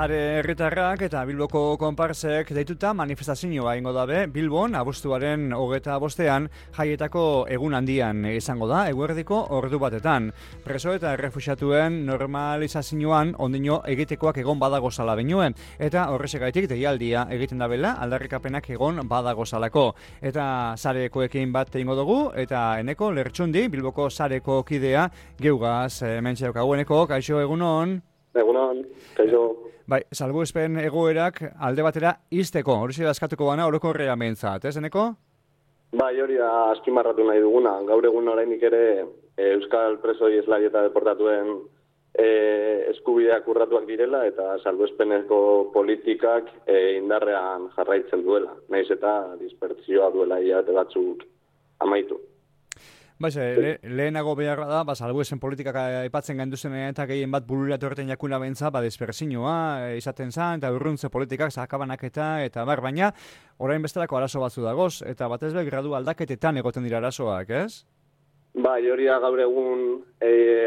Sare herritarrak eta Bilboko konparsek deituta manifestazioa egingo dabe Bilbon abuztuaren 25ean jaietako egun handian izango da eguerdiko ordu batetan. Preso eta errefuxiatuen normalizazioan ondino egitekoak egon badagozala benuen eta horrexegaitik deialdia egiten dabela aldarrikapenak egon badagozalako. Eta sarekoekin bat egingo dugu eta Eneko Lertxundi Bilboko sareko kidea geugaz mentxe daukagu. Eneko, kaixo egunon? Egunon, kaixo. Bai, salbuespen egoerak alde batera izteko, hori zela eskatuko bana orokorrea behintzat, ez, Eneko? Bai, hori azpimarratu nahi duguna. Gaur egun orainik ere Euskal presoi eslari eta deportatuen eskubideak urratuak direla eta salbuespeneko politikak indarrean jarraitzen duela. Naiz eta dispertsioa duela hilabete batzuk amaitu. Baiz, lehenago behar da, salbuesen politikak aipatzen gainduzenean eta gehien bat bururatu erten jakuna behintza, dispersioa izaten zan, eta urruntze politikak, zakabanaketa, eta baina, orain bestelako arazo batzu dagoz, eta batez be gradu aldaketetan egoten dira arazoak, ez? Bai, hori da gaur egun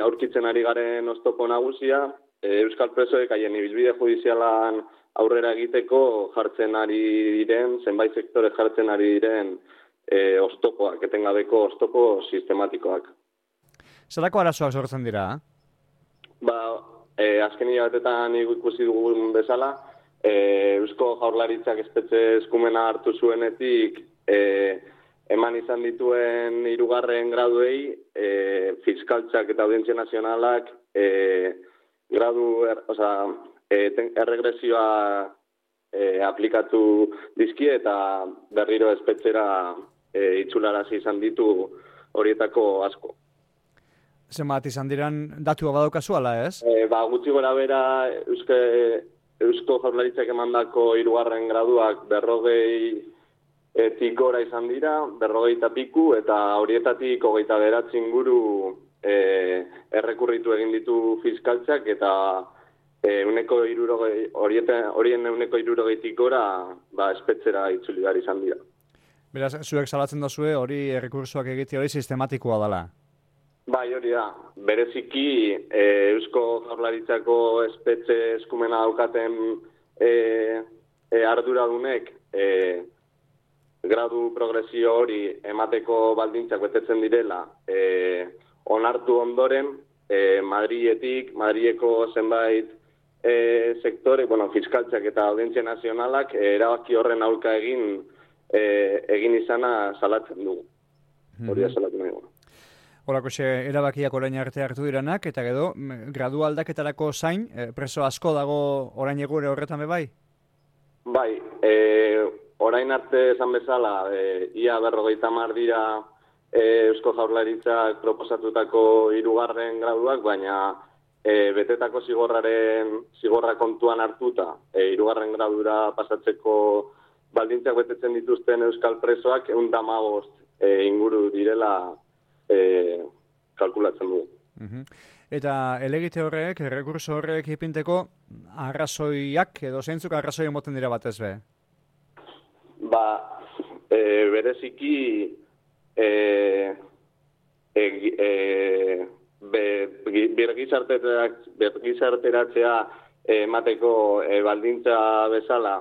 aurkitzen ari garen oztopo nagusia, Euskal presoek haien ibilbide judizialan aurrera egiteko jartzen ari diren, zenbait sektore jartzen ari diren, oztopoak, etengabeko oztopo sistematikoak. Zerako arazoak sortzen dira? Azken hilabetetan ikusi dugun bezala, Eusko Jaurlaritzak espetxe eskumena hartu zuenetik eman izan dituen 3. graduei, fiskaltzak eta audientzia nazionalak erregresioa aplikatu dizkie eta berriro espetxera itzularazi izan ditu horietako asko. Zenbat izan diran datua badaukazu ala, ez? Gutxi gora bera Eusko Jaurlaritzak emandako 3. graduak 40 gora izan dira, 40 piku, eta horietatik 29 inguru errekurritu egin ditu fiskaltzak eta horien 60 gora espetxera itzuli behar izan dira. Beraz, zuek salatzen dozue hori errekursoak egite hori sistematikoa dela? Bai, hori da. Bereziki Eusko Jaurlaritzako espetxe eskumena daukaten arduradunek gradu progresio hori emateko baldintzak betetzen direla onartu ondoren Madrileko zenbait sektore, fiskaltzak eta audientzia nazionalak erabaki horren aurka egin izana salatzen dugu. Hori da salatu nahi dugu. Horako erabakiak orain arte hartu diranak, eta gero, gradu aldaketarako zain, preso asko dago orain egure horretan bai? Bai, orain arte esan bezala, ia 50 dira Eusko Jaurlaritzak proposatutako 3. graduak, baina betetako zigorra kontuan hartuta, 3. gradura pasatzeko baldintzak betetzen dituzten Euskal presoak 115 inguru direla kalkulatzen dugu. Eta elegite horrek, errekurso horrek ipinteko arrazoiak edo zeintzuk arrazoi emoten dira batez be? Bereziki birgizarteratzea emateko baldintza bezala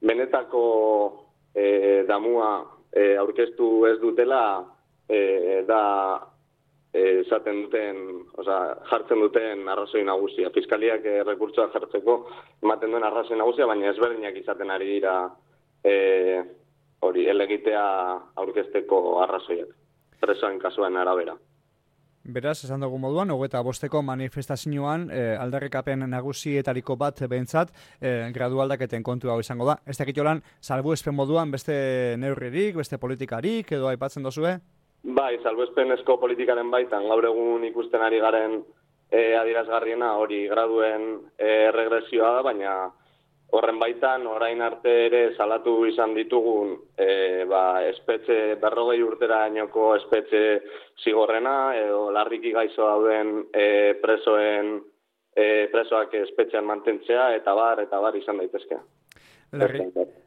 benetako damua aurkeztu ez dutela da esaten duten, jartzen duten arrazoi nagusia. Fiskaliak errekurtsoa jartzeko ematen duen arrazoi nagusia, baina ezberdinak izaten ari dira hori elegitea aurkezteko arrazoiak. Presoen kasuan arabera. Beraz, esan dugu moduan, 25eko manifestazioan aldarrikapen nagusietariko bat behintzat gradu aldaketen kontu hau izango da. Ez dakit jolan, salbuespen moduan beste neurririk, beste politikarik edo aipatzen dozue? Bai, salbuespenezko politikaren baitan, gaur egun ikusten ari garen adierazgarriena hori graduen regresioa da, baina horren baitan orain arte ere salatu izan ditugun espetxe 40 urterainoko espetxe zigorrena edo larriki gaixo dauden presoak espetxean mantentzea eta bar izan daitezke.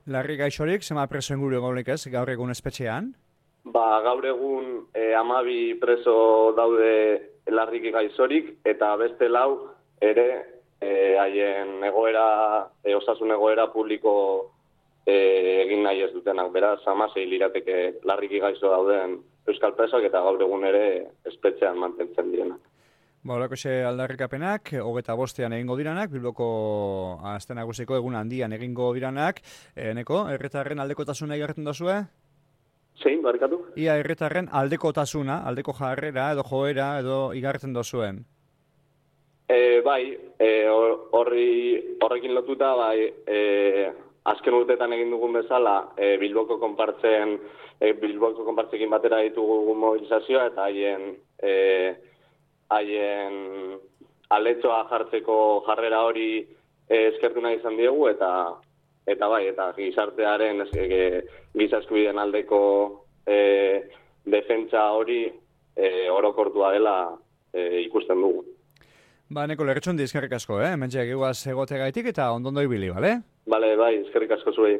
Larri gaixorik, zema preso inguru egonik ez, gaur egun espetxean? Gaur egun 12 preso daude larriki gaixorik eta beste 4 ere haien egoera, osasun egoera publiko egin nahi ez dutenak. Beraz, 16 lirateke larriki gaixo dauden euskal presoak eta gaur egun ere espetxean mantentzen direnak. Horrekoxe aldarrikapenak, 25ean egingo diranak, Bilboko aste nagusiko egun handian egingo diranak. Eneko, herritarren aldekotasuna igartzen dozue? Zein, barkatu? Ia herritarren aldekotasuna, aldeko jarrera edo joera edo igartzen dozuen? Bai, horrekin lotuta, bai, azken urteetan egin dugun bezala, Bilboko konpartzekin batera ditugu mobilizazioa eta haien aletxoa jartzeko jarrera hori eskertu nahi izan diegu eta gizartearen giza eskubideen aldeko defentsa hori orokortua dela ikusten dugu. Neko lerretxondi eskerrik asko, Hementxe eguaz egotegaitik eta ondondo ibili, bale? Bale, bai, eskerrik asko zuei.